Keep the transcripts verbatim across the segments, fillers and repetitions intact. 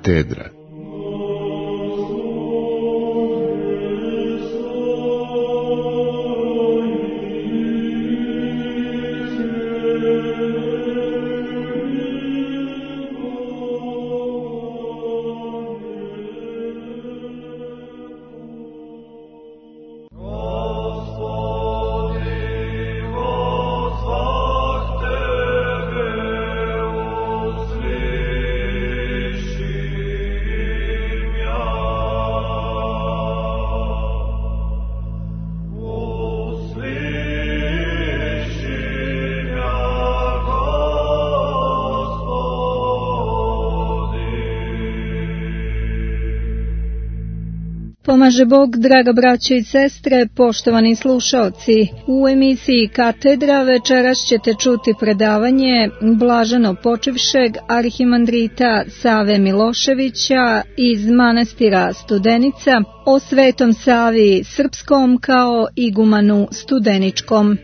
Katedra. Pomaže Bog, draga braćo i sestre, poštovani slušaoci. U emisiji Katedra večeras ćete čuti predavanje blaženo počivšeg arhimandrita Save Miloševića iz manastira Studenica o Svetom Savi Srpskom kao igumanu Studeničkom.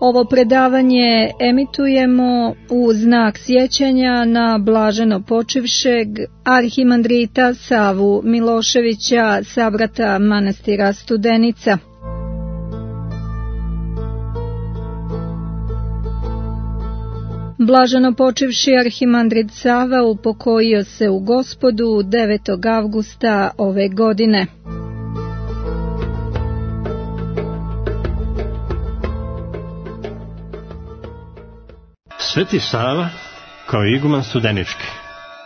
Ovo predavanje emitujemo u znak sjećanja na blaženo počivšeg arhimandrita Savu Miloševića, sabrata manastira Studenica. Blaženo počivši arhimandrit Sava upokojio se u Gospodu devetog avgusta ove godine. Sveti Sava kao iguman Studenički,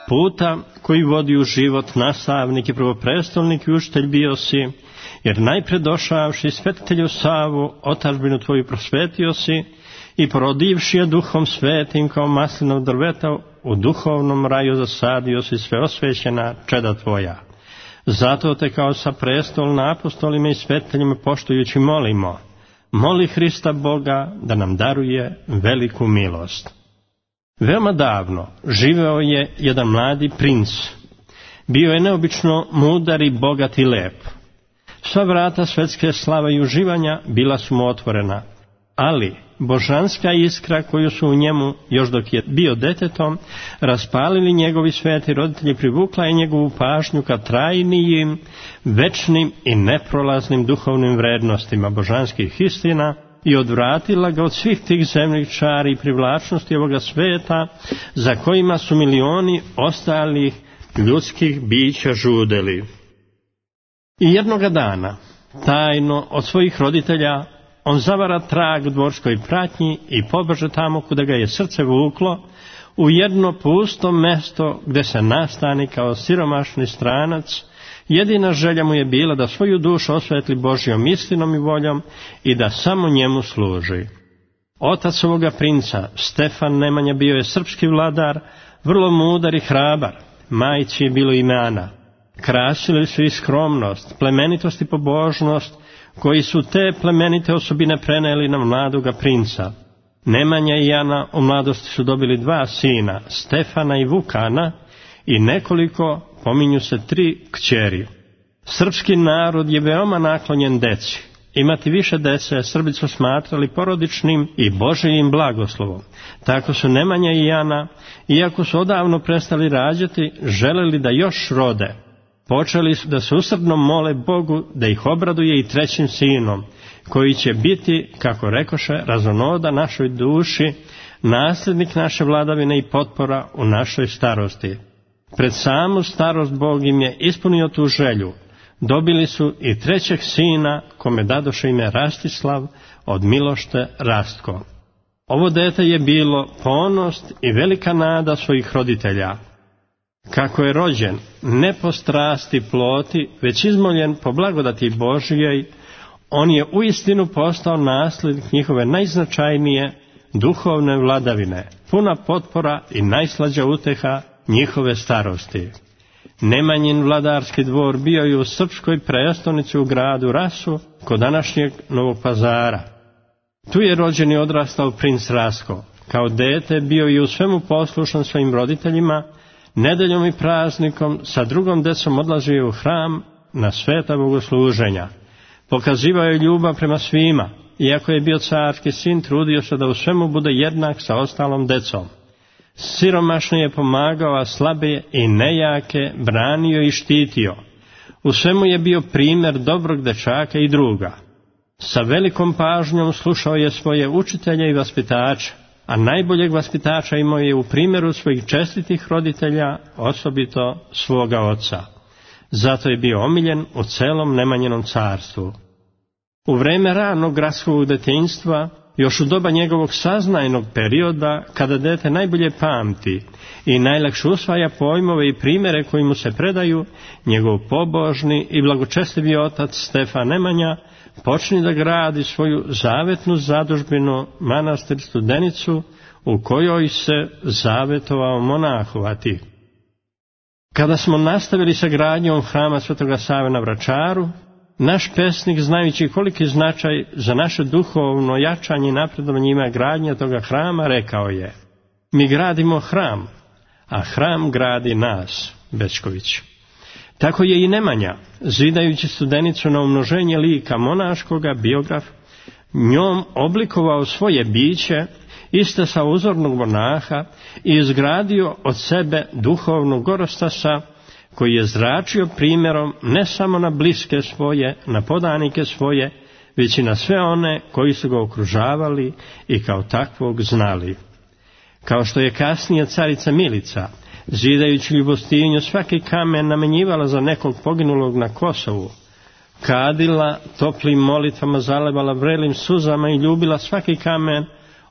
puta koji vodi u život nastavnik i prvoprestolnik i učitelj bio si, jer najpre došavši svetitelju Savu, otadžbinu tvoju prosvetio si i porodivši je duhom svetim kao maslinog drveta, u duhovnom raju zasadio si sve osvećena čeda tvoja. Zato te kao sa prestolna apostolima i svetiteljima poštujući molimo, moli Hrista Boga da nam daruje veliku milost. Veoma davno živeo je jedan mladi princ. Bio je neobično mudar i bogat i lep. Sva vrata svetske slave i uživanja bila su mu otvorena, ali božanska iskra koju su u njemu, još dok je bio detetom, raspalili njegovi sveti roditelji, privukla je njegovu pažnju ka trajnijim, večnim i neprolaznim duhovnim vrednostima božanskih istina i odvratila ga od svih tih zemljih čari i privlačnosti ovoga sveta za kojima su milioni ostalih ljudskih bića žudeli. I jednoga dana, tajno od svojih roditelja, on zavara trag u dvorskoj pratnji i pobeže tamo kuda ga je srce vuklo, u jedno pusto mesto gde se nastani kao siromašni stranac. Jedina želja mu je bila da svoju dušu osvetli Božjom istinom i voljom i da samo njemu služi. Otac ovoga princa, Stefan Nemanja, bio je srpski vladar, vrlo mudar i hrabar. Majci je bilo ime Ana. Krasili su i skromnost, plemenitost i pobožnost, koji su te plemenite osobine preneli na mladoga princa. Nemanja i Ana u mladosti su dobili dva sina, Stefana i Vukana, i nekoliko, pominju se tri kćeri. Srpski narod je veoma naklonjen deci. Imati više dece Srbi su smatrali porodičnim i Božijim blagoslovom. Tako su Nemanja i Ana, iako su odavno prestali rađati, želeli da još rode. Počeli su da se usrdno mole Bogu da ih obraduje i trećim sinom, koji će biti, kako rekoše, razonoda našoj duši, nasljednik naše vladavine i potpora u našoj starosti. Pred samu starost Bog im je ispunio tu želju. Dobili su i trećeg sina, kome dadoše ime Rastislav, od Milošte Rastko. Ovo dete je bilo ponos i velika nada svojih roditelja. Kako je rođen, ne po strasti ploti, već izmoljen po blagodati Božijej, on je uistinu postao nasljednik njihove najznačajnije duhovne vladavine, puna potpora i najslađa uteha njihove starosti. Nemanjin vladarski dvor bio je u srpskoj prestolnici u gradu Rasu, kod današnjeg Novog Pazara. Tu je rođen i odrastao princ Rastko. Kao dete bio je u svemu poslušan svojim roditeljima, nedeljom i praznikom sa drugom decom odlazio je u hram na sveta bogosluženja. Pokazivao je ljubav prema svima, iako je bio carski sin, trudio se da u svemu bude jednak sa ostalom decom. siromašne je pomagao, a slabe i nejake branio i štitio. U svemu je bio primjer dobrog dečaka i druga. Sa velikom pažnjom slušao je svoje učitelje i vaspitača, a najboljeg vaspitača imao je u primjeru svojih čestitih roditelja, osobito svoga oca. Zato je bio omiljen u celom Nemanjinom carstvu. U vreme ranog gradskog djetinjstva, još u doba njegovog saznajnog perioda, kada dete najbolje pamti i najlakše usvaja pojmove i primjere koji mu se predaju, njegov pobožni i blagočestivi otac Stefan Nemanja počni da gradi svoju zavetnu zadužbinu, manastir Studenicu, u kojoj se zavetovao monahovati. Kada smo nastavili sa gradnjom hrama Svetoga Save na Vračaru, naš pesnik, znajući koliki značaj za naše duhovno jačanje i napredovanje ima gradnja toga hrama, rekao je: mi gradimo hram, a hram gradi nas, Bećković. Tako je i Nemanja, zidajući Studenicu na umnoženje lika monaškoga, biograf, njom oblikovao svoje biće, iste sa uzornog monaha, i izgradio od sebe duhovnog gorostasa, koji je zračio primjerom ne samo na bliske svoje, na podanike svoje, već i na sve one koji su ga okružavali i kao takvog znali. Kao što je kasnije carica Milica, zidajući Ljubostinju, svaki kamen namenjivala za nekog poginulog na Kosovu, kadila toplim molitvama, zalevala vrelim suzama i ljubila svaki kamen,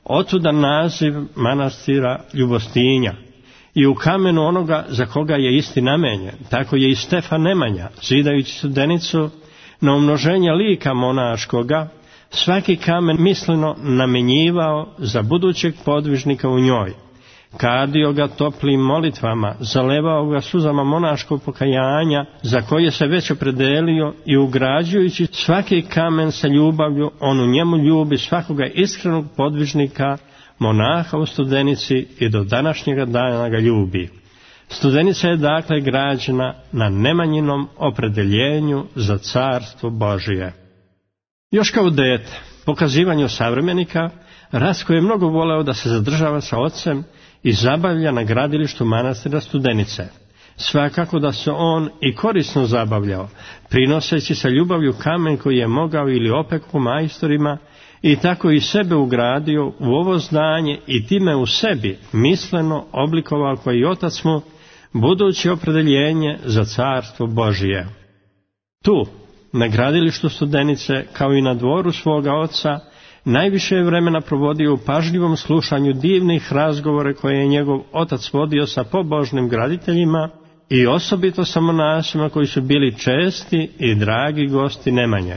otuda naziv manastira Ljubostinja. I u kamenu onoga za koga je isti namenjen. Tako je i Stefan Nemanja, zidajući Studenicu na umnoženje lika monaškoga, svaki kamen misleno namenjivao za budućeg podvižnika u njoj. Kadio ga toplim molitvama, zalevao ga suzama monaškog pokajanja, za koje se već opredelio, i ugrađujući svaki kamen sa ljubavlju, on u njemu ljubi svakoga iskrenog podvižnika, monaha u Studenici, i do današnjega dana ga ljubi. Studenica je dakle građena na Nemanjinom opredeljenju za carstvo Božije. Još kao dete, pokazivanju savremenika, Rasko je mnogo voleo da se zadržava sa ocem i zabavlja na gradilištu manastira Studenice. Svakako da se on i korisno zabavljao, prinoseći sa ljubavlju kamen koji je mogao ili opeko majstorima, i tako i sebe ugradio u ovo zdanje i time u sebi misleno oblikovao koji otac mu buduće opredeljenje za carstvo Božije. Tu, na gradilištu Studenice, kao i na dvoru svoga oca, najviše je vremena provodio u pažljivom slušanju divnih razgovore koje je njegov otac vodio sa pobožnim graditeljima i osobito sa monasima koji su bili česti i dragi gosti Nemanje.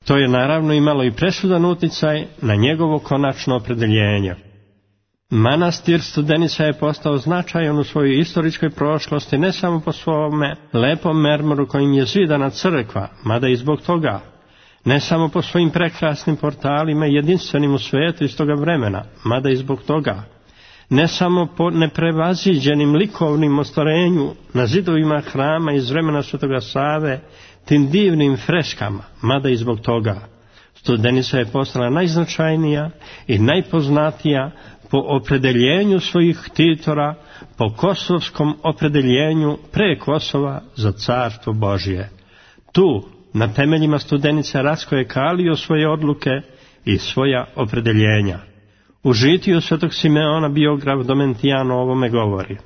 To je naravno imalo i presudan uticaj na njegovo konačno opredeljenje. Manastir Studenica je postao značajan u svojoj istoričkoj prošlosti ne samo po svome lepom mermoru kojim je zidana crkva, mada i zbog toga, ne samo po svojim prekrasnim portalima jedinstvenim u svijetu iz toga vremena, mada i zbog toga, ne samo po neprevaziđenim likovnim ostvarenju na zidovima hrama iz vremena Svetoga Save, tim divnim freskama, mada i zbog toga. Studenica je postala najznačajnija i najpoznatija po opredeljenju svojih ktitora, po kosovskom opredeljenju pre Kosova za carstvo Božje. Tu, na temeljima Studenice, Rasko je kalio svoje odluke i svoja opredeljenja. U žitiju Svetog Simeona biograf Domentijan o ovome govori: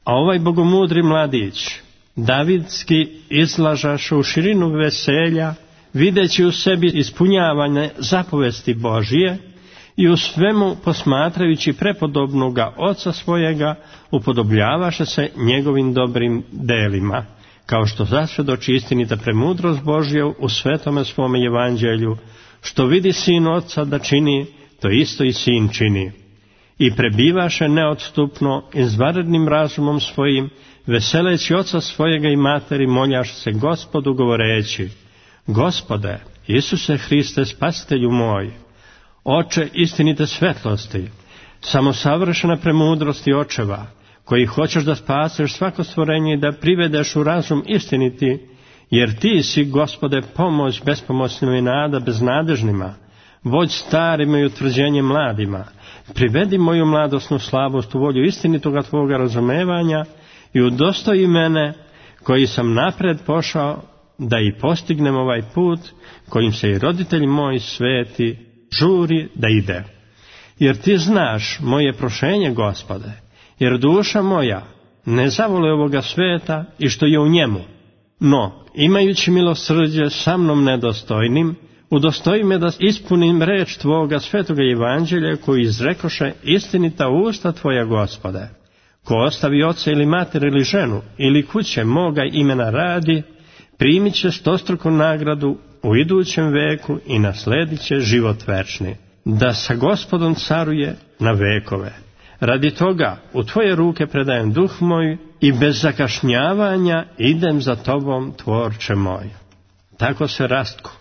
a ovaj bogomudri mladić, davidski, izlažaše u širinu veselja, videći u sebi ispunjavanje zapovesti Božije i u svemu posmatrajući prepodobnoga oca svojega, upodobljavaše se njegovim dobrim delima, kao što zasvjedoči istinita premudrost Božja u svetome svome evanđelju, što vidi sin oca da čini, to isto i sin čini. I prebivaše neodstupno izvanrednim razumom svojim, veseleći oca svojega i materi, moljaše se Gospodu govoreći: Gospode, Isuse Hriste, spasitelju moj, Oče istinite svetlosti, samo savršena premudrosti očeva, koji hoćeš da spaseš svako stvorenje i da privedeš u razum istiniti, jer ti si, Gospode, pomoć bespomoćnima i nada beznadežnima, vođ starima i utvrđenje mladima, Privedi moju mladosnu slabost u volju istinitoga tvoga razumevanja i udostoji mene, koji sam napred pošao, da i postignem ovaj put kojim se i roditelj moj sveti žuri da ide. Jer ti znaš moje prošenje, Gospode, jer duša moja ne zavole ovoga sveta i što je u njemu. No, imajući milosrđe sa mnom nedostojnim, udostoji me da ispunim reč tvoga svetoga evanđelja koji izrekoše istinita usta tvoja, Gospode. Ko ostavi oca ili mater ili ženu ili kuće moga imena radi, primit će stostruku nagradu u idućem veku i nasledit će život večni, da sa Gospodom caruje na vekove. Radi toga u tvoje ruke predajem duh moj i bez zakašnjavanja idem za tobom, tvorče moj. Tako se Rastko,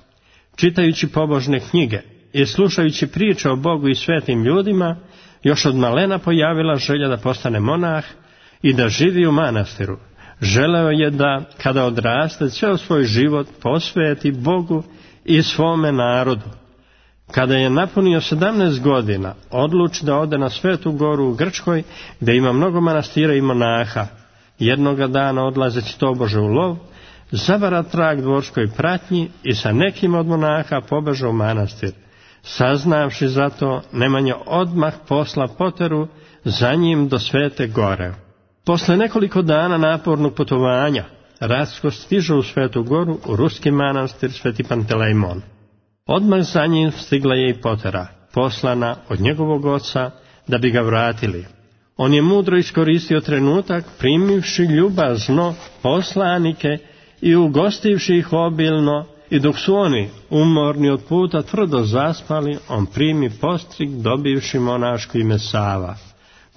čitajući pobožne knjige i slušajući priče o Bogu i svetim ljudima, još od malena pojavila želja da postane monah i da živi u manastiru. Želeo je da, kada odraste, ceo svoj život posveti Bogu i svome narodu. Kada je napunio sedamnaest godina, odluči da ode na Svetu Goru u Grčkoj, gdje ima mnogo manastira i monaha. Jednoga dana, odlazeći tobože u lov, zavara trag dvorskoj pratnji i sa nekim od monaha pobeže u manastir. Saznavši za to, Nemanja odmah posla poteru za njim do Svete Gore. Posle nekoliko dana napornog putovanja, Rastko stiže u Svetu Goru u ruski manastir Sveti Pantelejmon. Odmah za njim stigla je i potera, poslana od njegovog oca da bi ga vratili. On je mudro iskoristio trenutak, primivši ljubazno poslanike i ugostivši ih obilno, i dok su oni, umorni od puta, tvrdo zaspali, on primi postrig, dobivši monaško ime Sava.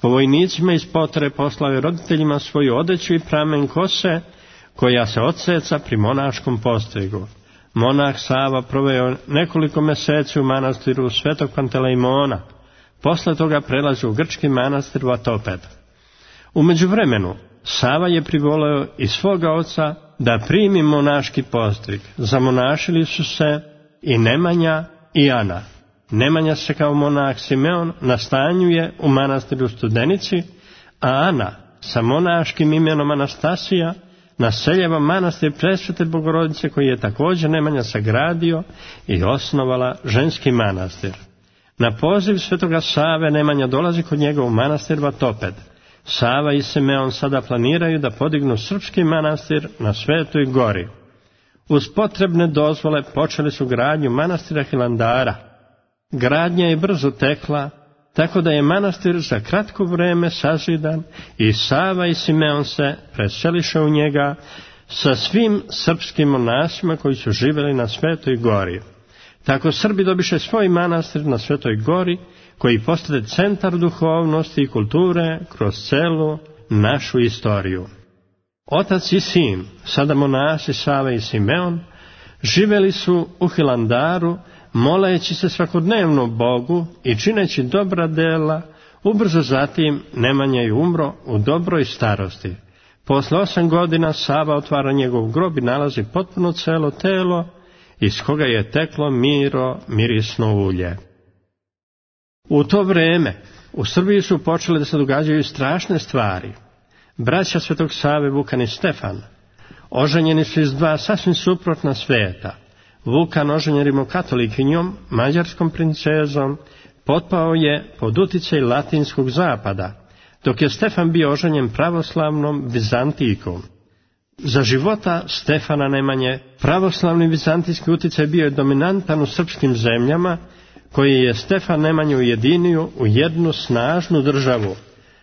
Po vojnicima iz potere poslao je roditeljima svoju odeću i pramen kose, koja se odseca pri monaškom postrigu. Monah Sava proveo nekoliko meseci u manastiru Svetog Pantelejmona. Posle toga prelazi u grčki manastir Vatoped. U međuvremenu, Sava je privoleo i svoga oca da primi monaški postrig. Zamonašili su se i Nemanja i Ana. Nemanja se kao monah Simeon nastanjuje u manastiru Studenici, a Ana sa monaškim imenom Anastasija naseljava manastir Presvete Bogorodice, koji je također Nemanja sagradio i osnovala ženski manastir. Na poziv svetoga Save Nemanja dolazi kod njega u manastir Vatoped. Sava i Simeon sada planiraju da podignu srpski manastir na Svetoj Gori. Uz potrebne dozvole počeli su gradnju manastira Hilandara. Gradnja je brzo tekla, tako da je manastir za kratko vreme sazidan i Sava i Simeon se preseliše u njega sa svim srpskim monasima koji su živjeli na Svetoj Gori. Tako Srbi dobiše svoj manastir na Svetoj Gori, koji postade centar duhovnosti i kulture kroz celu našu istoriju. Otac i sin, sada monasi Sava i Simeon, živjeli su u Hilandaru, moleći se svakodnevno Bogu i čineći dobra dela. Ubrzo zatim Nemanja je umro u dobroj starosti. Posle osam godina Sava otvara njegov grob i nalazi potpuno celo telo, iz koga je teklo miro, mirisno ulje. U to vreme u Srbiji su počele da se događaju strašne stvari. Braća Svetog Save, Vukan i Stefan, oženjeni su iz dva sasvim suprotna sveta. Vukan, oženjen rimokatolikinjom, mađarskom princezom, potpao je pod uticaj latinskog zapada, dok je Stefan bio oženjen pravoslavnom Vizantikom. Za života Stefana Nemanje pravoslavni vizantijski uticaj bio je dominantan u srpskim zemljama, koji je Stefan Nemanju ujedinio u jednu snažnu državu.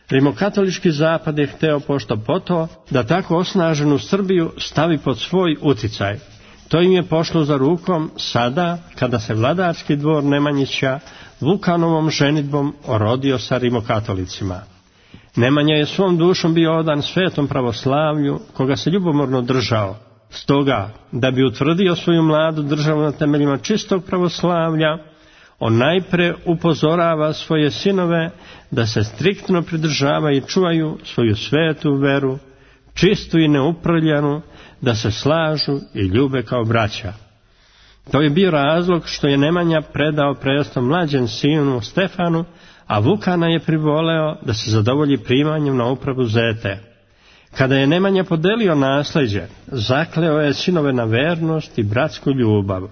Rimokatolički zapad je hteo pošto poto da tako osnaženu Srbiju stavi pod svoj uticaj. To im je pošlo za rukom sada kada se vladarski dvor Nemanjića Vukanovom ženidbom orodio sa rimokatolicima. Nemanja je svom dušom bio odan svetom pravoslavlju, koga se ljubomorno držao. Stoga, da bi utvrdio svoju mladu državu na temeljima čistog pravoslavlja, on najpre upozorava svoje sinove da se striktno pridržavaju i čuvaju svoju svetu veru, čistu i neuprljanu, da se slažu i ljube kao braća. To je bio razlog što je Nemanja predao presto mlađem sinu Stefanu, a Vukana je privoleo da se zadovolji primanjem na upravu zete. Kada je Nemanja podelio nasleđe, zakleo je sinove na vernost i bratsku ljubav.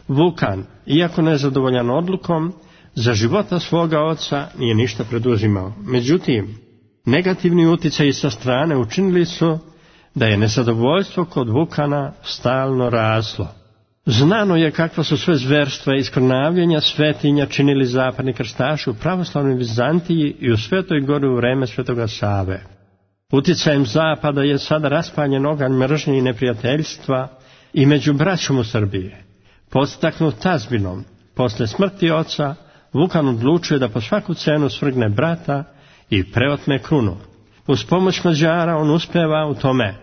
Vukan, iako nezadovoljan odlukom, za života svoga oca nije ništa preduzimao. Međutim, negativni utjecaji sa strane učinili su da je nezadovoljstvo kod Vukana stalno raslo. Znano je kakva su sve zverstva i skrnavljenja svetinja činili zapadni krstaši u pravoslavnoj Vizantiji i u Svetoj Gori u vreme Svetoga Save. Utjecajem zapada je sada raspaljen oganj mržnje i neprijateljstva i među braćom u Srbiji. Podstaknut tazbinom, posle smrti oca, Vukan odlučuje da po svaku cenu svrgne brata i preotme krunu. Uz pomoć Mađara on uspeva u tome.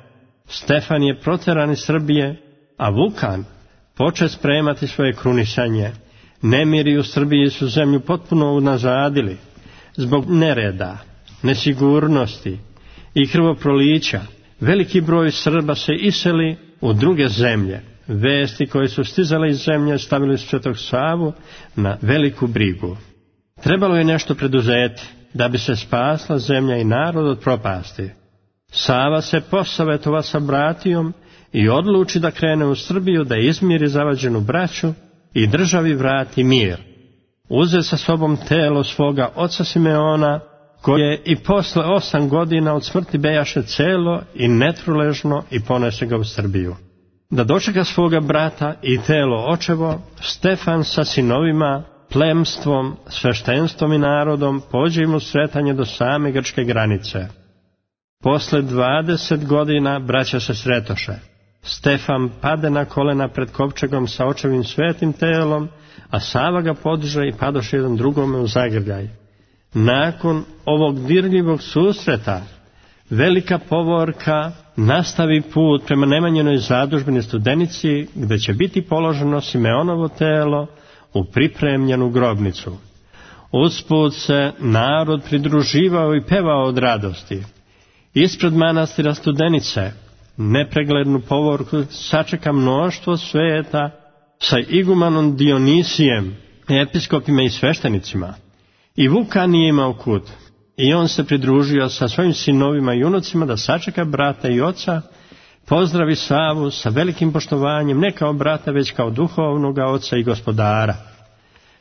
Stefan je proteran iz Srbije, a Vukan poče spremati svoje krunisanje. Nemiri u Srbiji su zemlju potpuno unazadili. Zbog nereda, nesigurnosti i krvoprolića, veliki broj Srba se iseli u druge zemlje. Vesti koje su stizale iz zemlje stavili Svetog Savu na veliku brigu. Trebalo je nešto preduzeti da bi se spasla zemlja i narod od propasti. Sava se posavetova sa bratijom i odluči da krene u Srbiju da izmiri zavađenu braću i državi vrati mir. Uze sa sobom telo svoga oca Simeona, koje i posle osam godina od smrti bejaše celo i netruležno i ponese ga u Srbiju. Da dočeka svoga brata i telo očevo, Stefan sa sinovima, plemstvom, sveštenstvom i narodom pođe im u sretanje do same grčke granice. Posle dvadeset godina braća se sretoše. Stefan pade na kolena pred kovčegom sa očevim svetim telom, a Sava ga podiže i padoše jedan drugome u zagrljaj. Nakon ovog dirljivog susreta, velika povorka nastavi put prema Nemanjinoj zadužbini Studenici, gde će biti položeno Simeonovo telo u pripremljenu grobnicu. Usput se narod pridruživao i pevao od radosti. Ispred manastira Studenice nepreglednu povorku sačeka mnoštvo sveta sa igumanom Dionisijem, episkopima i sveštenicima. I Vukan nije imao kud. I on se pridružio sa svojim sinovima i unucima da sačeka brata i oca, pozdravi Savu sa velikim poštovanjem, ne kao brata, već kao duhovnoga oca i gospodara.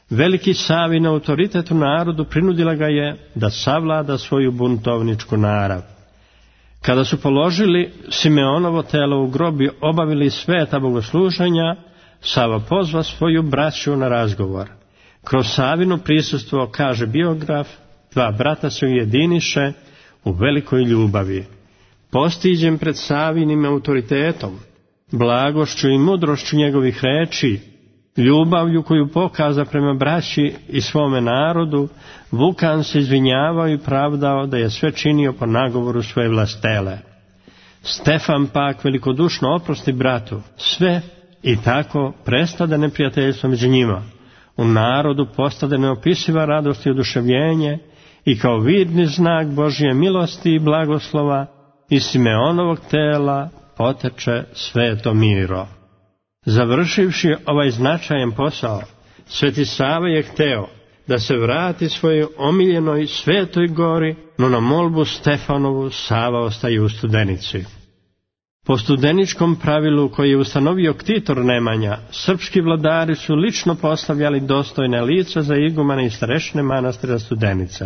Veliki Savin autoritet u narodu prinudila ga je da savlada svoju buntovničku narav. Kada su položili Simeonovo telo u grob i obavili sveta bogosluženja, Sava pozva svoju braću na razgovor. Kroz Savino prisustvo, kaže biograf, dva brata se ujediniše u velikoj ljubavi. Postiđen pred Savinim autoritetom, blagošću i mudrošću njegovih reči, ljubavlju koju pokaza prema braći i svome narodu, Vukan se izvinjavao i pravdao da je sve činio po nagovoru svoje vlastele. Stefan pak velikodušno oprosti bratu sve i tako prestade neprijateljstvo među njima. U narodu postade neopisiva radost i oduševljenje i kao vidni znak Božje milosti i blagoslova iz Simeonovog tela poteče sveto miro. Završivši ovaj značajan posao, Sveti Sava je hteo da se vrati svojoj omiljenoj Svetoj Gori, no na molbu Stefanovu Sava ostaje u Studenici. Po studeničkom pravilu koji je ustanovio ktitor Nemanja, srpski vladari su lično postavljali dostojne lica za igumane i starešine manastira Studenice.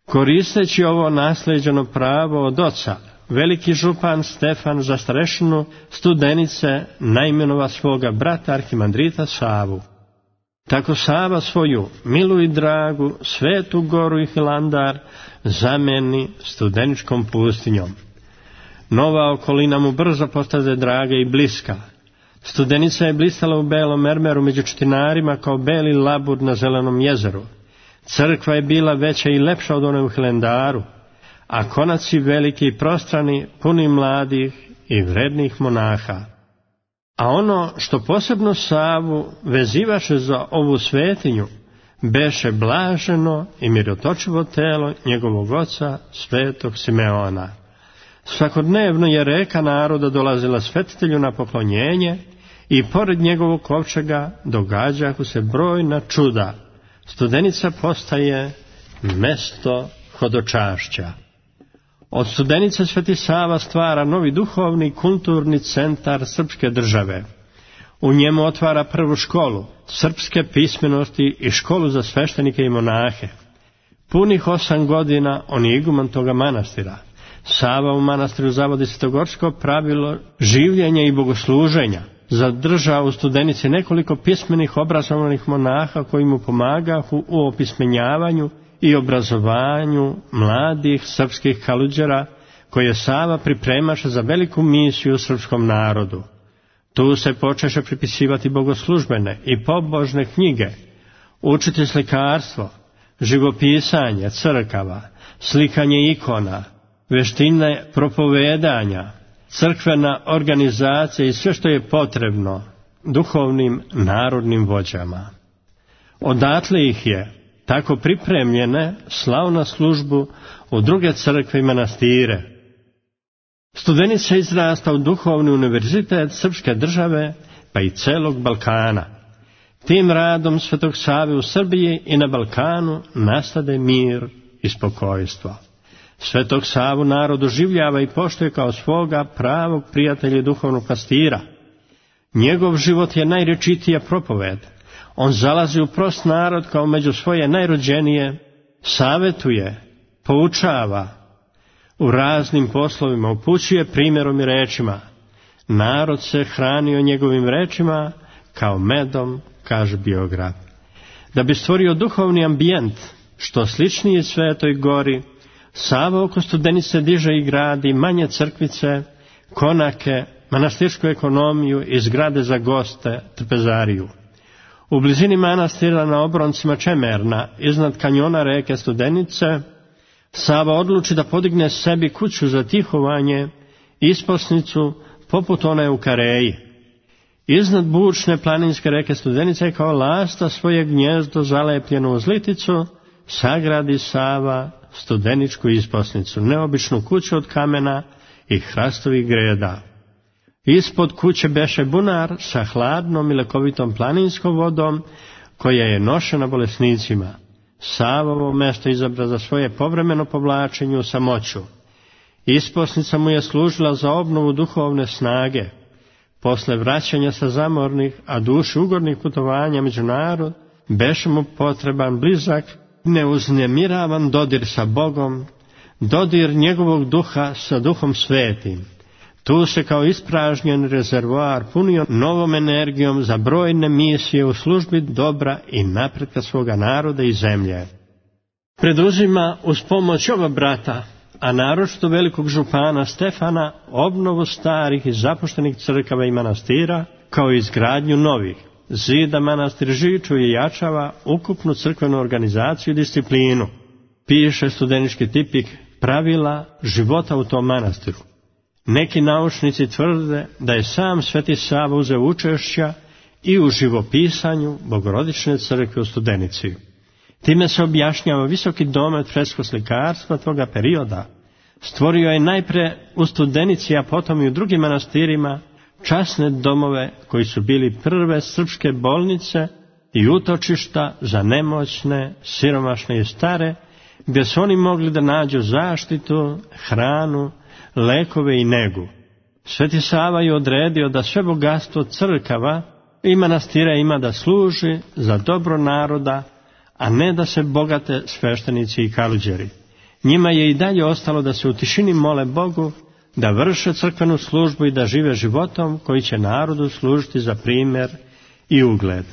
Koristeći ovo nasleđeno pravo od oca, veliki župan Stefan za starešinu Studenice naimenova svoga brata arhimandrita Savu. Tako Sava svoju milu i dragu Svetu Goru i Hilandar zameni Studeničkom pustinjom. Nova okolina mu brzo postade draga i bliska. Studenica je blistala u belom mermeru među četinarima kao beli labud na zelenom jezeru. Crkva je bila veća i lepša od one u Hilandaru, a konaci veliki i prostrani, puni mladih i vrednih monaha. A ono što posebno Savu vezivaše za ovu svetinju, beše blaženo i mirotočivo telo njegovog oca Svetog Simeona. Svakodnevno je reka naroda dolazila svetitelju na poklonjenje i pored njegovog kovčega događahu se brojna čuda. Studenica postaje mesto hodočašća. Od Studenice Sveti Sava stvara novi duhovni kulturni centar srpske države. U njemu otvara prvu školu srpske pismenosti i školu za sveštenike i monahe. Punih osam godina on je iguman toga manastira. Sava u manastiru zavodi svetogorsko pravilo življenja i bogosluženja. Zadržao u Studenici nekoliko pismenih obrazovanih monaha koji mu pomagahu u opismenjavanju i obrazovanju mladih srpskih kaluđera koje Sava pripremaše za veliku misiju srpskom narodu. Tu se počeše pripisivati bogoslužbene i pobožne knjige, učiti slikarstvo, živopisanje crkava, slikanje ikona, veštine propovedanja, crkvena organizacija i sve što je potrebno duhovnim narodnim vođama. Odatle ih je tako pripremljene slao na službu u druge crkve i manastire. Studenica izrasta u duhovni univerzitet srpske države pa i celog Balkana. Tim radom Svetog Save u Srbiji i na Balkanu nastade mir i spokojstvo. Svetog Savu narod oživljava i poštuje kao svoga pravog prijatelja i duhovnog pastira. Njegov život je najrečitija propoved. On zalazi u prost narod kao među svoje najrođenije, savetuje, poučava, u raznim poslovima upućuje primjerom i rečima. Narod se hranio njegovim rečima kao medom, kaže biograf. Da bi stvorio duhovni ambijent, što sličniji Svetoj Gori, Sava oko Studenice diže i gradi manje crkvice, konake, manastirsku ekonomiju i zgrade za goste, trpezariju. U blizini manastira na obroncima Čemerna, iznad kanjona reke Studenice, Sava odluči da podigne sebi kuću za tihovanje, isposnicu poput one u Kareji. Iznad bučne planinske reke Studenice kao lasta svoje gnjezdo zalepljeno uz liticu, sagradi Sava studeničku isposnicu, neobičnu kuću od kamena i hrastovih greda. Ispod kuće beše bunar sa hladnom i lekovitom planinskom vodom, koja je nošena bolesnicima. Savovo mesto izabra za svoje povremeno povlačenje u samoću. Isposnica mu je služila za obnovu duhovne snage. Posle vraćanja sa zamornih, a duši ugodnih putovanja među narod, beše mu potreban blizak, neuznемiravan dodir sa Bogom, dodir njegovog duha sa Duhom Svetim. Tu se kao ispražnjen rezervoar punio novom energijom za brojne misije u službi dobra i napretka svoga naroda i zemlje. Preduzima uz pomoć oba brata, a naročito velikog župana Stefana, obnovu starih i zapuštenih crkava i manastira, kao i izgradnju novih. Zida manastir Žiču i jačava ukupnu crkvenu organizaciju i disciplinu. Piše studenički tipik pravila života u tom manastiru. Neki naučnici tvrde da je sam Sveti Sava uzeo učešća i u živopisanju Bogorodične crkve u Studenici. Time se objašnjava visoki domet freskoslikarstva toga perioda. Stvorio je najpre u Studenici, a potom i u drugim manastirima, časne domove koji su bili prve srpske bolnice i utočišta za nemoćne, siromašne i stare, gdje su oni mogli da nađu zaštitu, hranu, lekove i negu. Sveti Sava je odredio da sve bogatstvo crkava i manastira ima da služi za dobro naroda, a ne da se bogate sveštenici i kaluđeri. Njima je i dalje ostalo da se u tišini mole Bogu, da vrše crkvenu službu i da žive životom koji će narodu služiti za primjer i ugled.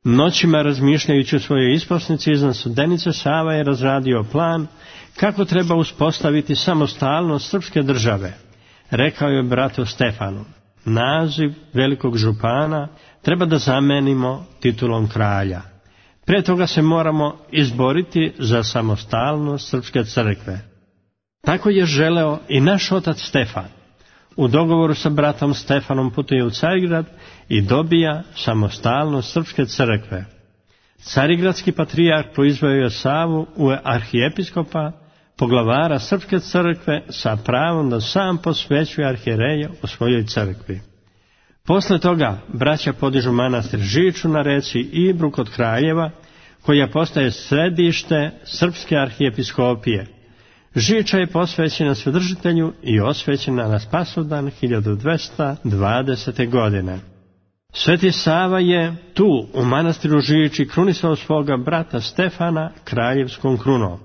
Noćima razmišljajući o svojoj isposnici iznad Studenice, Sava je razradio plan kako treba uspostaviti samostalnost srpske države. Rekao je bratu Stefanu, naziv velikog župana treba da zamenimo titulom kralja. Pre toga se moramo izboriti za samostalnost srpske crkve. Tako je želeo i naš otac Stefan. U dogovoru sa bratom Stefanom putuje u Carigrad i dobija samostalnost srpske crkve. Carigradski patrijarh proizveo je Savu u arhijepiskopa, poglavara srpske crkve sa pravom da sam posvećuje arhijereje u svojoj crkvi. Posle toga braća podižu manastir Žiču na reci Ibru kod Kraljeva, koja postaje središte srpske arhijepiskopije. Žiča je posvećena Svedržitelju i osvećena na Spasovdan hiljadu dvesta dvadesete. godine. Sveti Sava je tu u manastiru Žiči krunisao svoga brata Stefana kraljevskom krunom.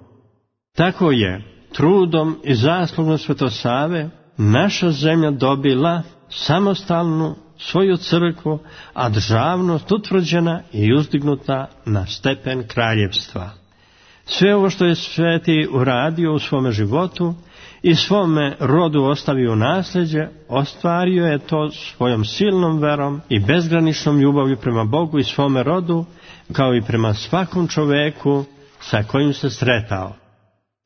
Tako je trudom i zaslugom Svetosave naša zemlja dobila samostalnu svoju crkvu, a državnost utvrđena i uzdignuta na stepen kraljevstva. Sve ovo što je sveti uradio u svome životu i svome rodu ostavio nasljeđe, ostvario je to svojom silnom verom i bezgraničnom ljubavlju prema Bogu i svome rodu, kao i prema svakom čoveku sa kojim se sretao.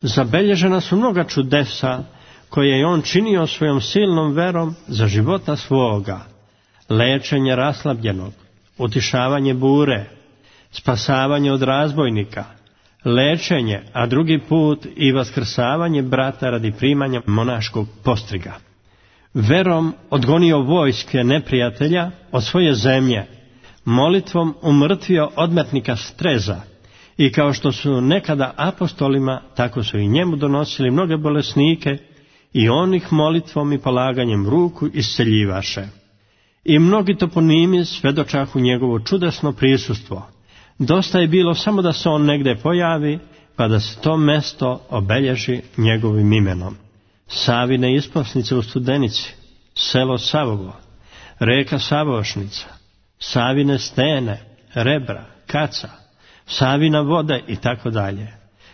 Zabelježena su mnoga čudesa koje je on činio svojom silnom verom za života svoga: lečenje raslabljenog, utišavanje bure, spasavanje od razbojnika, lečenje, a drugi put i vaskrsavanje brata radi primanja monaškog postriga. Verom odgonio vojske neprijatelja od svoje zemlje, molitvom umrtvio odmetnika Streza, i kao što su nekada apostolima, tako su i njemu donosili mnoge bolesnike, i on ih molitvom i polaganjem ruku isceljivaše. I mnogi toponimi svedočahu njegovo čudesno prisustvo. Dosta je bilo samo da se on negde pojavi, pa da se to mesto obelježi njegovim imenom. Savine isposnice u Studenici, selo Savovo, reka Savošnica, Savine stene, Rebra, Kaca, Savina voda i tako dalje.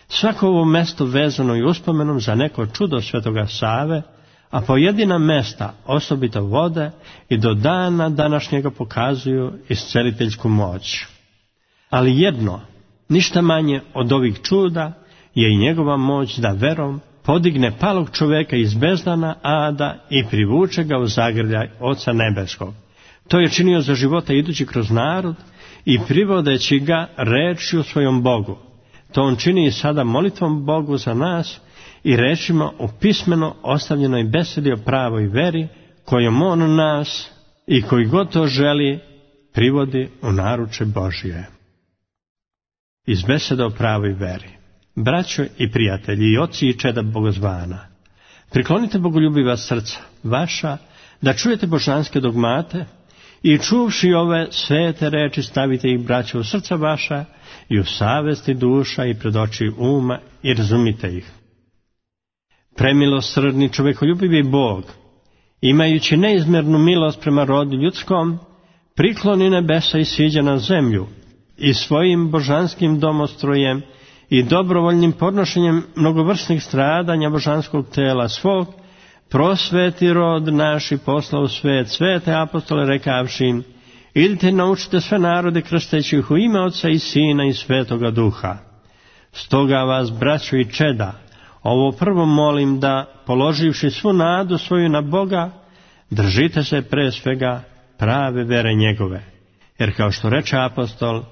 Svako ovo mesto vezano i uspomenom za neko čudo svetoga Save, a pojedina mesta osobito vode i do dana današnjega pokazuju isceliteljsku moć. Ali jedno, ništa manje od ovih čuda, je i njegova moć da verom podigne palog čoveka iz bezdana Ada i privuče ga u zagrljaj Oca Nebeskog. To je činio za života idući kroz narod i privodeći ga rečju svojom Bogu. To on čini i sada molitvom Bogu za nas i rečima u pismeno ostavljenoj besedi o pravoj veri, kojom on nas i koji god to želi privodi u naruče Božje. Iz beseda o pravoj veri. Braćo i prijatelji i oci i čeda bogozvana, priklonite bogoljubiva srca vaša da čujete božanske dogmate i čuvši ove svete reči stavite ih, braćo, u srca vaša i u savesti duša i pred oči uma i razumite ih. Premilosrdni čovekoljubivi Bog, imajući neizmjernu milost prema rodu ljudskom, prikloni nebesa i siđe na zemlju i svojim božanskim domostrojem i dobrovoljnim podnošenjem mnogovrsnih stradanja božanskog tela svog, prosveti rod naš i posla u svet svete apostole rekavši im: idite i naučite sve narode krsteći ih u ime Oca i Sina i Svetoga Duha. Stoga vas, braćo i čeda, ovo prvo molim da, položivši svu nadu svoju na Boga, držite se pre svega prave vere njegove. Jer kao što reče apostol,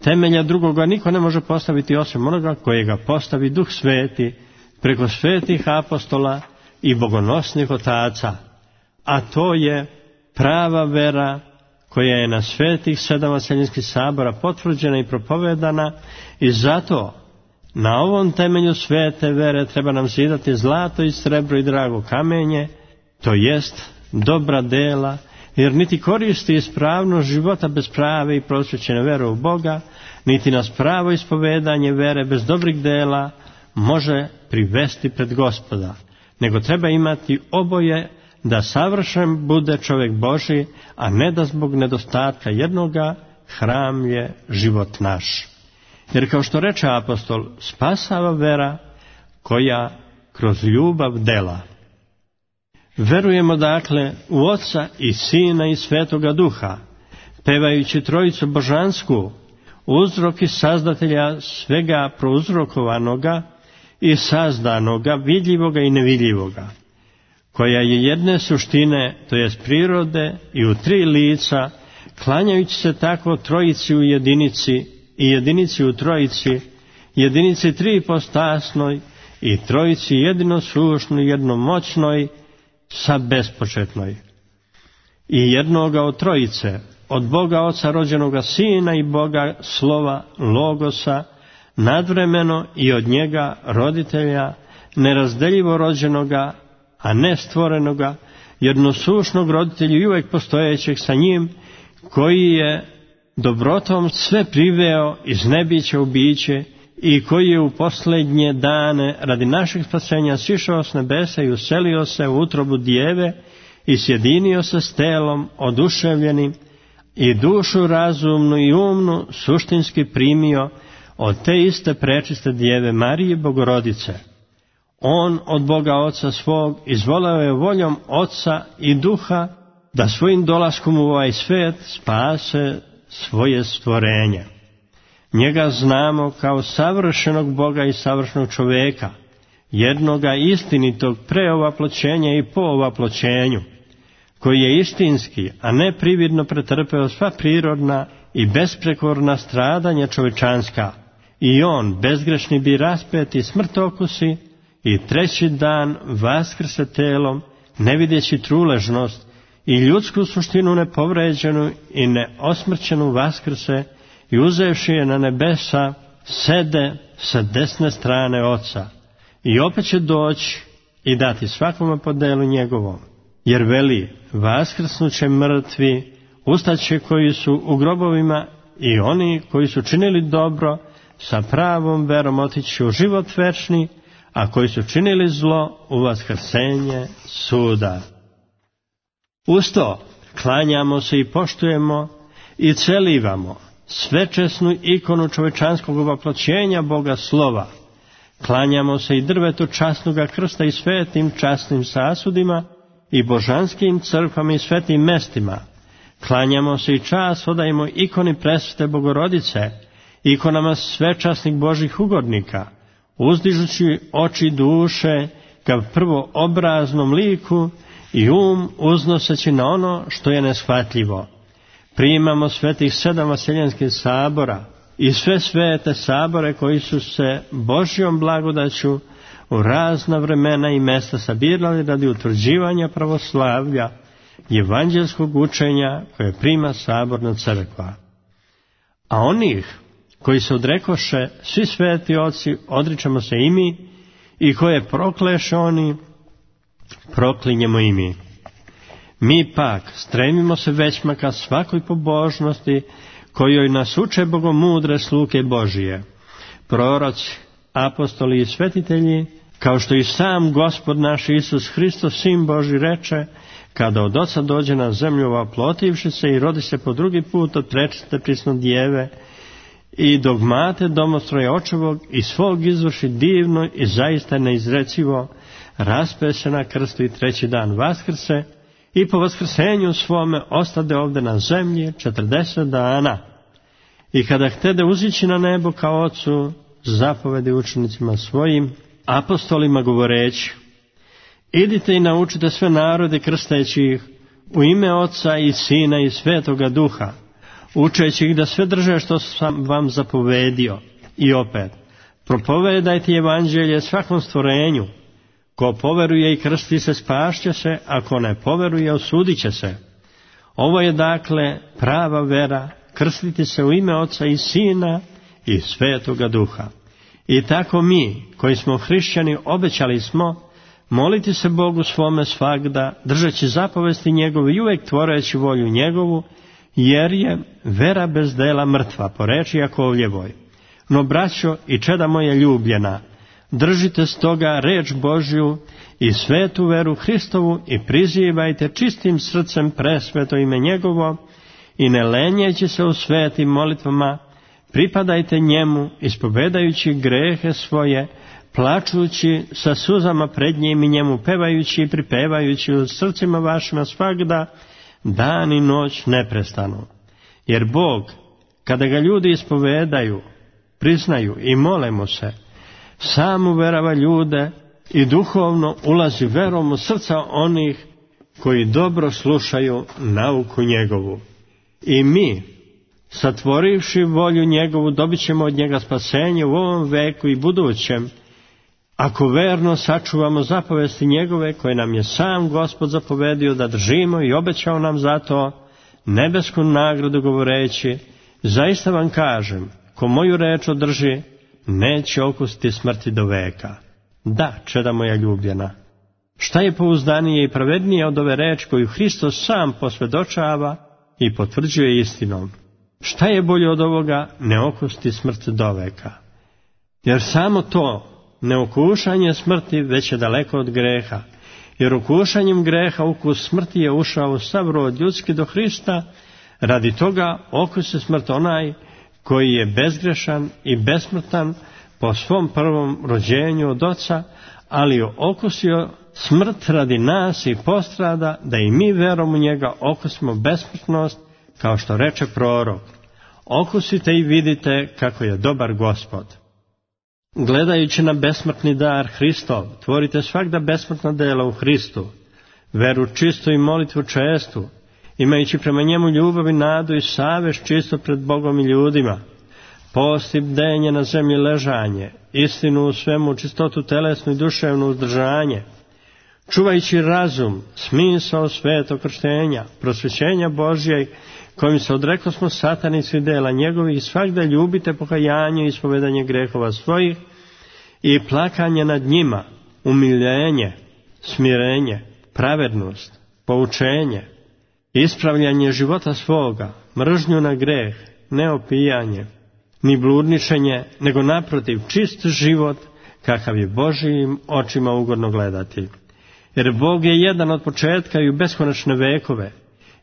temelja drugoga niko ne može postaviti osim onoga kojega postavi Duh Sveti preko svetih apostola i bogonosnih otaca, a to je prava vera koja je na svetih sedam vaseljenskih sabora potvrđena i propovedana, i zato na ovom temelju svete vere treba nam zidati zlato i srebro i drago kamenje, to jest dobra dela, jer niti koristi ispravnost života bez prave i prosvećene vere u Boga, niti nas pravo ispovedanje vere bez dobrih dela može privesti pred Gospoda, nego treba imati oboje da savršen bude čovjek Božji, a ne da zbog nedostatka jednoga hram je život naš. Jer kao što reče apostol, spasava vera koja kroz ljubav dela. Verujemo dakle u Oca i Sina i Svetoga Duha, pevajući Trojicu božansku, uzrok i sazdatelja svega prouzrokovanoga i sazdanoga, vidljivoga i nevidljivoga, koja je jedne suštine, to jest prirode, i u tri lica, klanjajući se tako Trojici u jedinici i jedinici u Trojici, jedinici tripostasnoj i Trojici jedinosušnoj, jednomoćnoj, sa bespočetnoj. I jednoga od Trojice, od Boga Oca rođenoga Sina i Boga Slova Logosa, nadvremeno i od njega roditelja, nerazdeljivo rođenoga, a ne stvorenoga, jednosušnog roditelja i uvijek postojećeg sa njim, koji je dobrotom sve priveo iz nebića u biće i koji je u posljednje dane radi našeg spasenja sišao s nebesa i uselio se u utrobu djeve i sjedinio se s telom oduševljenim i dušu razumnu i umnu suštinski primio od te iste prečiste djeve Marije Bogorodice. On od Boga Oca svog izvoleo je voljom Oca i Duha da svojim dolaskom u ovaj svijet spase svoje stvorenje. Njega znamo kao savršenog Boga i savršenog čovjeka, jednoga istinitog pre ovaploćenja i po ovaploćenju, koji je istinski, a ne prividno pretrpeo sva prirodna i besprekorna stradanja čovečanska, i on, bezgrešni, bi raspet i smrt okusi, i treći dan vaskrse telom, ne vidjeći truležnost, i ljudsku suštinu nepovređenu i neosmrćenu vaskrse, i uzevši je na nebesa, sede sa desne strane Oca, i opet će doći i dati svakome po delu njegovom. Jer veli, vaskrsnuće mrtvi, ustaće koji su u grobovima, i oni koji su činili dobro, sa pravom verom otići u život večni, a koji su činili zlo u vaskrsenje suda. Usto klanjamo se i poštujemo i celivamo svečesnu ikonu čovečanskog ovaploćenja Boga Slova. Klanjamo se i drvetu časnoga krsta i svetim časnim sasudima i božanskim crkvama i svetim mestima. Klanjamo se i čast odajemo ikoni presvete Bogorodice, ikonama svečasnih Božih ugodnika, uzdižući oči duše ka prvo obraznom liku i um uznoseći na ono što je neshvatljivo. Primamo svetih sedam vaseljenskih sabora i sve svete sabore koji su se Božjom blagodaću u razna vremena i mesta sabirali radi utvrđivanja pravoslavlja i evanđelskog učenja koje prima saborna crkva. A onih koji se odrekoše svi sveti oci, odričemo se i mi, i koje prokleše oni, proklinjemo i mi. Mi pak stremimo se većma ka svakoj pobožnosti kojoj nas uče bogomudre sluge Božije, proroci, apostoli i svetitelji, kao što i sam Gospod naš Isus Hristos, Sin Božji, reče, kada od Oca dođe na zemlju ovaplotivši se i rodi se po drugi put od prečiste prisno djeve, i dogmate domostroja očevog i svog izvrši divno i zaista neizrecivo, raspe se na krstu i treći dan vaskrse, i po vaskrsenju svome ostade ovdje na zemlji četrdeset dana. I kada htede uzići na nebo ka Ocu, zapovedi učenicima svojim, apostolima govoreći, idite i naučite sve narode krsteći ih u ime Oca i Sina i Svetoga Duha, učeći ih da sve drže što sam vam zapovedio. I opet, propovedajte evanđelje svakom stvorenju. Ko poveruje i krsti se, spašće se, a ko ne poveruje, osudit će se. Ovo je dakle prava vera, krstiti se u ime Oca i Sina i Svetoga Duha. I tako mi, koji smo hrišćani, obećali smo moliti se Bogu svome svagda, držeći zapovesti njegove i uvijek tvoreći volju njegovu, jer je vera bez dela mrtva, po reči Jakovljevoj. No, braćo i čeda moja ljubljena, držite stoga reč Božju i svetu veru Hristovu i prizivajte čistim srcem presveto ime njegovo i ne lenjeći se u svetim molitvama, pripadajte njemu ispovedajući grehe svoje, plačući sa suzama pred njim i njemu pevajući i pripevajući u srcima vašima svagda, dan i noć neprestano. Jer Bog, kada ga ljudi ispovedaju, priznaju i mole mu se, sam uverava ljude i duhovno ulazi verom u srca onih koji dobro slušaju nauku njegovu. I mi, satvorivši volju njegovu, dobit ćemo od njega spasenje u ovom veku i budućem, ako verno sačuvamo zapovesti njegove koje nam je sam Gospod zapovedio da držimo i obećao nam zato nebesku nagradu govoreći, zaista vam kažem, ko moju reč održi, neće okusiti smrti do veka. Da, čeda moja ljubljena, šta je pouzdanije i pravednije od ove reči koju Hristos sam posvjedočava i potvrđuje istinom? Šta je bolje od ovoga, ne okusiti smrt do veka? Jer samo to, neokušanje smrti, već je daleko od greha. Jer okušanjem greha ukus smrti je ušao u sav rod ljudski do Hrista, radi toga okusi smrt onaj koji je bezgrešan i besmrtan po svom prvom rođenju od Oca, ali je okusio smrt radi nas i postrada, da i mi verom u njega okusimo besmrtnost, kao što reče prorok. Okusite i vidite kako je dobar Gospod. Gledajući na besmrtni dar Hristov, tvorite svakda besmrtna dela u Hristu, veru čistu i molitvu čestu, imajući prema njemu ljubav i nadu i savest čisto pred Bogom i ljudima, post i bdenje na zemlji ležanje, istinu u svemu, čistotu telesnu i duševnu uzdržanje, čuvajući razum, smisao svetog krštenja, prosvećenja Božjeg, kojim se odreklo smo satanici dela njegovih, i svakda ljubite pokajanje i ispovedanje grehova svojih i plakanje nad njima, umiljenje, smirenje, pravednost, poučenje, ispravljanje života svoga, mržnju na greh, ne opijanje, ni bludničenje, nego naprotiv čist život, kakav je Božijim očima ugodno gledati. Jer Bog je jedan od početka i u beskonačne vekove,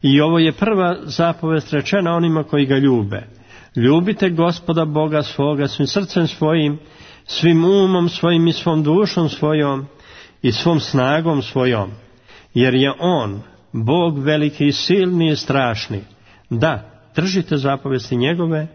i ovo je prva zapovest rečena onima koji ga ljube. Ljubite Gospoda Boga svoga svim srcem svojim, svim umom svojim i svom dušom svojom i svom snagom svojom, jer je On, Bog veliki i silni i strašni. Da, držite zapovesti njegove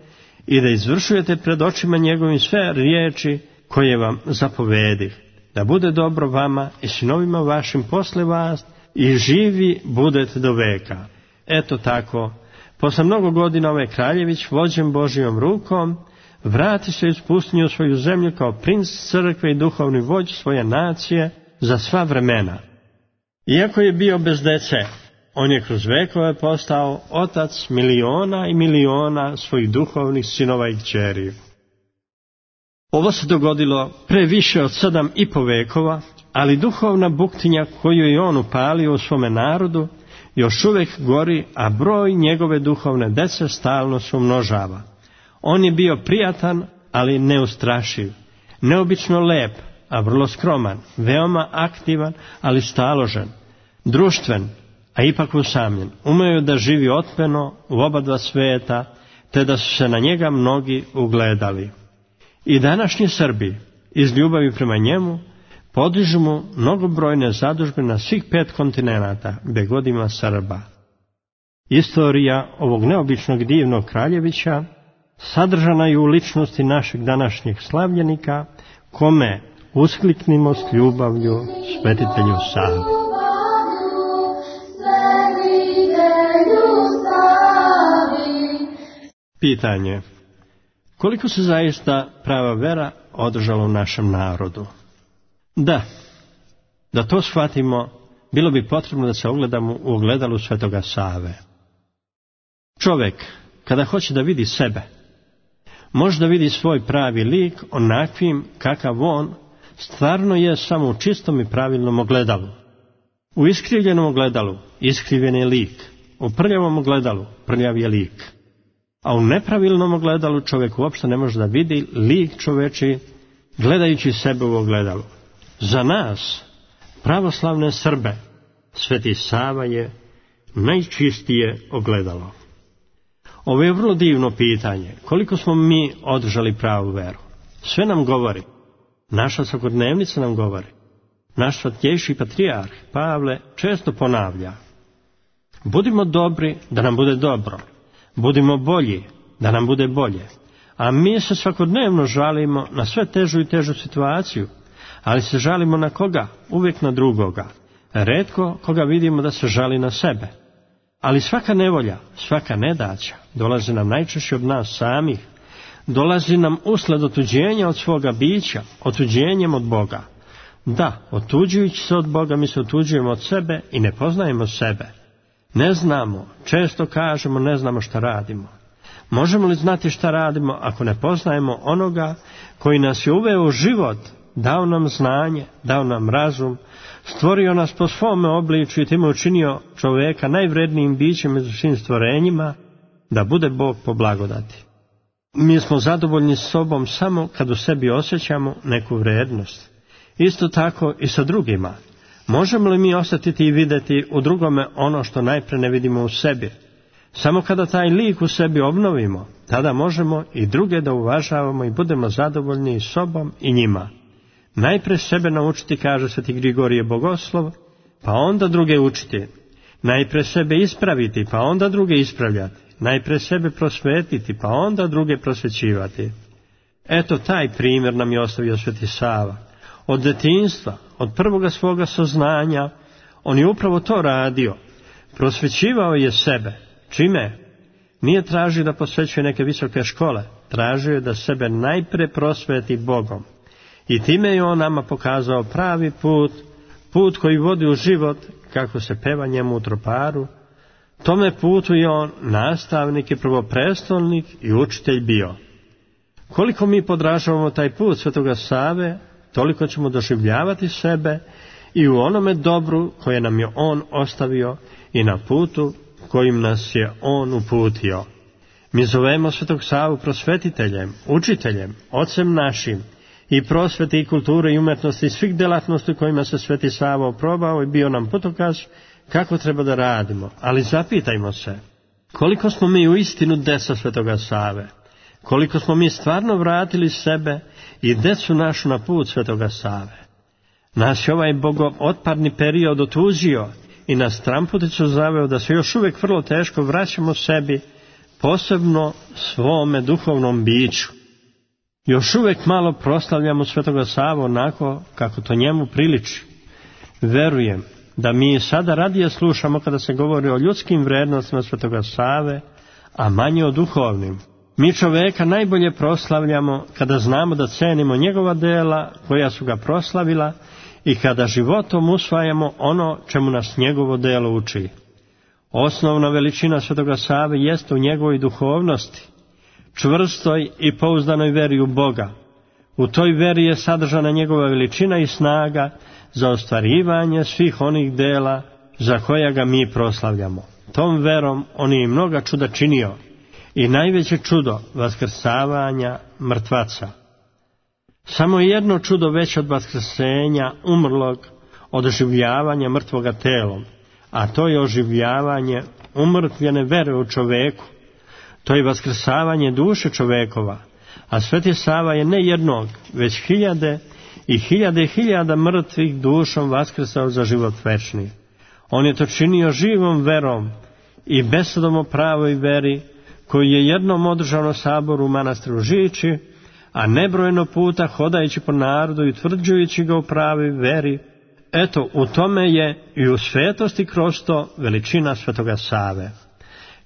i da izvršujete pred očima njegovim sve riječi koje vam zapovedih, da bude dobro vama i sinovima vašim posle vas i živi budete do veka. Eto tako, posle mnogo godina ovaj kraljević, vođen Božijom rukom, vrati se iz pustinje u svoju zemlju kao princ crkve i duhovni vođ svoje nacije za sva vremena. Iako je bio bez dece, on je kroz vekove postao otac miliona i miliona svojih duhovnih sinova i kćeri. Ovo se dogodilo pre više od sedam i po vekova, ali duhovna buktinja koju je on upalio u svome narodu još uvijek gori, a broj njegove duhovne dece stalno se umnožava. On je bio prijatan, ali neustrašiv, neobično lep, a vrlo skroman, veoma aktivan, ali staložen, društven, a ipak usamljen. Umeo da živi otmeno u oba dva sveta, te da su se na njega mnogi ugledali. I današnji Srbi, iz ljubavi prema njemu, podižu mu mnogobrojne zadužbe na svih pet kontinenata, gde god ima Srba. Istorija ovog neobičnog divnog kraljevića sadržana je u ličnosti našeg današnjeg slavljenika, kome uskliknimo s ljubavlju svetitelju Savi. Pitanje: koliko se zaista prava vera održala u našem narodu? Da, da to shvatimo, bilo bi potrebno da se ogledamo u ogledalu svetoga Save. Čovjek, kada hoće da vidi sebe, može da vidi svoj pravi lik onakvim kakav on stvarno je samo u čistom i pravilnom ogledalu. U iskrivljenom ogledalu iskrivljen je lik, u prljavom ogledalu prljav je lik. A u nepravilnom ogledalu čovjek uopšte ne može da vidi lik čoveči gledajući sebe u ogledalu. Za nas, pravoslavne Srbe, Sveti Sava je najčistije ogledalo. Ovo je vrlo divno pitanje. Koliko smo mi održali pravu veru? Sve nam govori. Naša svakodnevnica nam govori. Naš svatjejši patrijarh Pavle često ponavlja: budimo dobri da nam bude dobro. Budimo bolji da nam bude bolje. A mi se svakodnevno žalimo na sve težu i težu situaciju, ali se žalimo na koga? Uvijek na drugoga. Retko koga vidimo da se žali na sebe. Ali svaka nevolja, svaka nedaća dolazi nam najčešće od nas samih. Dolazi nam usled otuđenja od svoga bića, otuđenjem od Boga. Da, otuđujući se od Boga mi se otuđujemo od sebe i ne poznajemo sebe. Ne znamo, često kažemo ne znamo šta radimo. Možemo li znati šta radimo ako ne poznajemo onoga koji nas je uveo u život, dao nam znanje, dao nam razum, stvorio nas po svome obliču i time učinio čovjeka najvrednijim bićem među svim stvorenjima, da bude Bog po blagodati. Mi smo zadovoljni s sobom samo kad u sebi osjećamo neku vrijednost. Isto tako i sa drugima. Možemo li mi osjetiti i vidjeti u drugome ono što najprije ne vidimo u sebi? Samo kada taj lik u sebi obnovimo, tada možemo i druge da uvažavamo i budemo zadovoljni i sobom i njima. Najprije sebe naučiti, kaže sveti Grigorije Bogoslov, pa onda druge učiti. Najprije sebe ispraviti, pa onda druge ispravljati. Najprije sebe prosvetiti, pa onda druge prosvećivati. Eto, taj primjer nam je ostavio sveti Sava. Od detinjstva, od prvoga svoga saznanja, on je upravo to radio. Prosvećivao je sebe. Čime? Nije tražio da posvećuje neke visoke škole. Tražio je da sebe najprije prosveti Bogom. I time je on nama pokazao pravi put, put koji vodi u život, kako se peva njemu u troparu. Tome putu je on nastavnik i prvoprestolnik i učitelj bio. Koliko mi podražavamo taj put svetoga Save, toliko ćemo doživljavati sebe i u onome dobru koje nam je on ostavio i na putu kojim nas je on uputio. Mi zovemo svetog Savu prosvetiteljem, učiteljem, ocem našim i prosvete i kulture i umetnosti i svih delatnosti kojima se sveti Sava oprobao i bio nam putokaz kako treba da radimo. Ali zapitajmo se, koliko smo mi u istinu deca svetoga Save? Koliko smo mi stvarno vratili sebe i decu našu na put svetoga Save? Nas je ovaj bogootpadni period otuđio i nas tramputicu zaveo da se još uvijek vrlo teško vraćamo sebi, posebno svome duhovnom biću. Još uvijek malo proslavljamo svetoga Savu onako kako to njemu priliči. Verujem da mi sada radije slušamo kada se govori o ljudskim vrednostima svetoga Save, a manje o duhovnim. Mi čoveka najbolje proslavljamo kada znamo da cenimo njegova dela koja su ga proslavila i kada životom usvajamo ono čemu nas njegovo delo uči. Osnovna veličina svetoga Save jeste u njegovoj duhovnosti, čvrstoj i pouzdanoj veri u Boga. U toj veri je sadržana njegova veličina i snaga za ostvarivanje svih onih dela za koja ga mi proslavljamo. Tom verom on je i mnoga čuda činio i najveće čudo vaskrsavanja mrtvaca. Samo jedno čudo veće od vaskrsenja umrlog, od oživljavanja mrtvoga telom, a to je oživljavanje umrtvljene vere u čoveku. To je vaskrsavanje duše čovekova, a sveti Sava je ne jednog, već hiljade i hiljade hiljada mrtvih dušom vaskrsao za život večni. On je to činio živom verom i besedom o pravoj veri, koji je jednom održao na saboru u manastiru Žiči, a nebrojeno puta hodajući po narodu i utvrđujući ga u pravoj veri. Eto, u tome je i u svetosti kroz to veličina svetoga Save.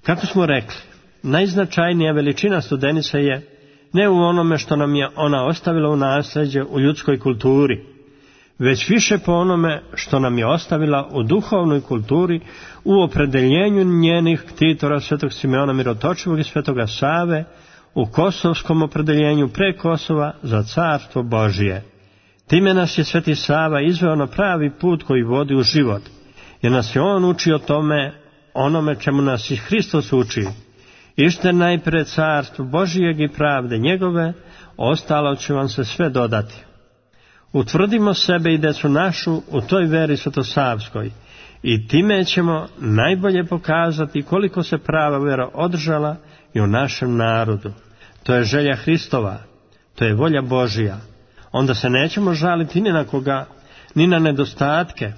Kako smo rekli, najznačajnija veličina Studenice je ne u onome što nam je ona ostavila u nasljeđe u ljudskoj kulturi, već više po onome što nam je ostavila u duhovnoj kulturi, u opredeljenju njenih ktitora svetog Simeona Mirotočivog i svetoga Save, u kosovskom opredeljenju pre Kosova za carstvo Božije. Time nas je sveti Sava izveo na pravi put koji vodi u život, jer nas je on učio tome, onome čemu nas i Hristos uči. Ište najpre carstvo Božijeg i pravde njegove, ostalo će vam se sve dodati. Utvrdimo sebe i decu našu u toj veri svetosavskoj i time ćemo najbolje pokazati koliko se prava vera održala i u našem narodu. To je želja Hristova, to je volja Božija. Onda se nećemo žaliti ni na koga, ni na nedostatke,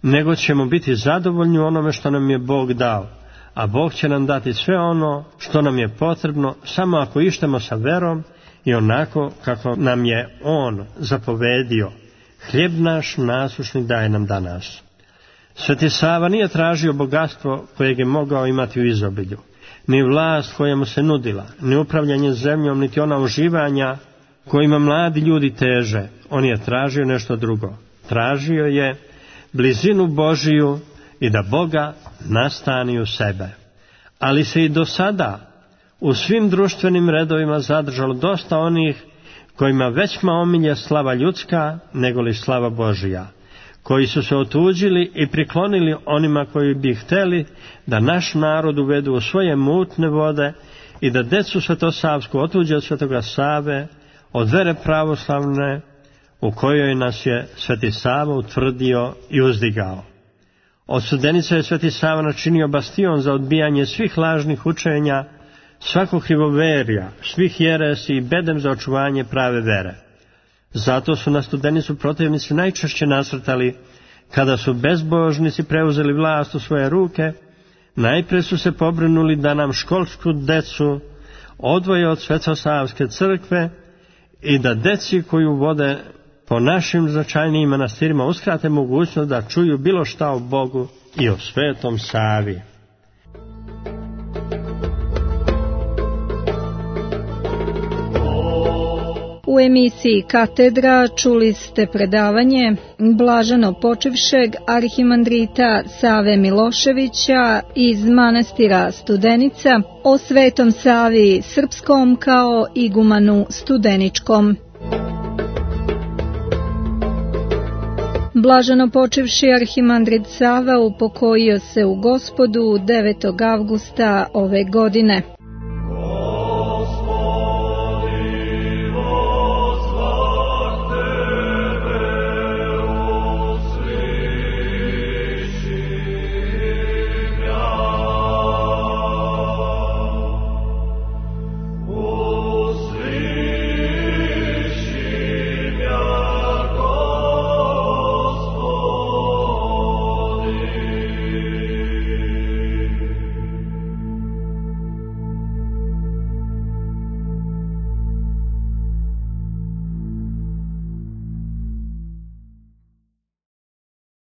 nego ćemo biti zadovoljni onome što nam je Bog dao. A Bog će nam dati sve ono što nam je potrebno, samo ako ištemo sa verom i onako kako nam je On zapovedio. Hljeb naš nasušni daje nam danas. Sveti Sava nije tražio bogatstvo kojeg je mogao imati u izobilju, ni vlast koja mu se nudila, ni upravljanje zemljom, niti ona uživanja kojima mladi ljudi teže. On je tražio nešto drugo. Tražio je blizinu Božiju i da Boga nastani u sebe. Ali se i do sada u svim društvenim redovima zadržalo dosta onih kojima većma omilje slava ljudska nego li slava Božija, koji su se otuđili i priklonili onima koji bi hteli da naš narod uvedu u svoje mutne vode i da decu svetosavsku otuđe od Svetoga Save, od vere pravoslavne u kojoj nas je Sveti Sava utvrdio i uzdigao. Od Studenica je Sveti Sava načinio bastion za odbijanje svih lažnih učenja, svakog krivoverja, svih jeresi i bedem za očuvanje prave vere. Zato su na Studenicu protivnici najčešće nasrtali kada su bezbožnici preuzeli vlast u svoje ruke. Najprije su se pobrinuli da nam školsku decu odvoje od Svetosavske crkve i da deci koju vode po našim značajnijim manastirima uskrate mogućnost da čuju bilo šta o Bogu i o Svetom Savi. U emisiji Katedra čuli ste predavanje blaženo počivšeg arhimandrita Save Miloševića iz manastira Studenica o Svetom Savi Srpskom kao igumanu Studeničkom. Blaženo počivši arhimandrit Sava upokojio se u Gospodu devetog avgusta ove godine.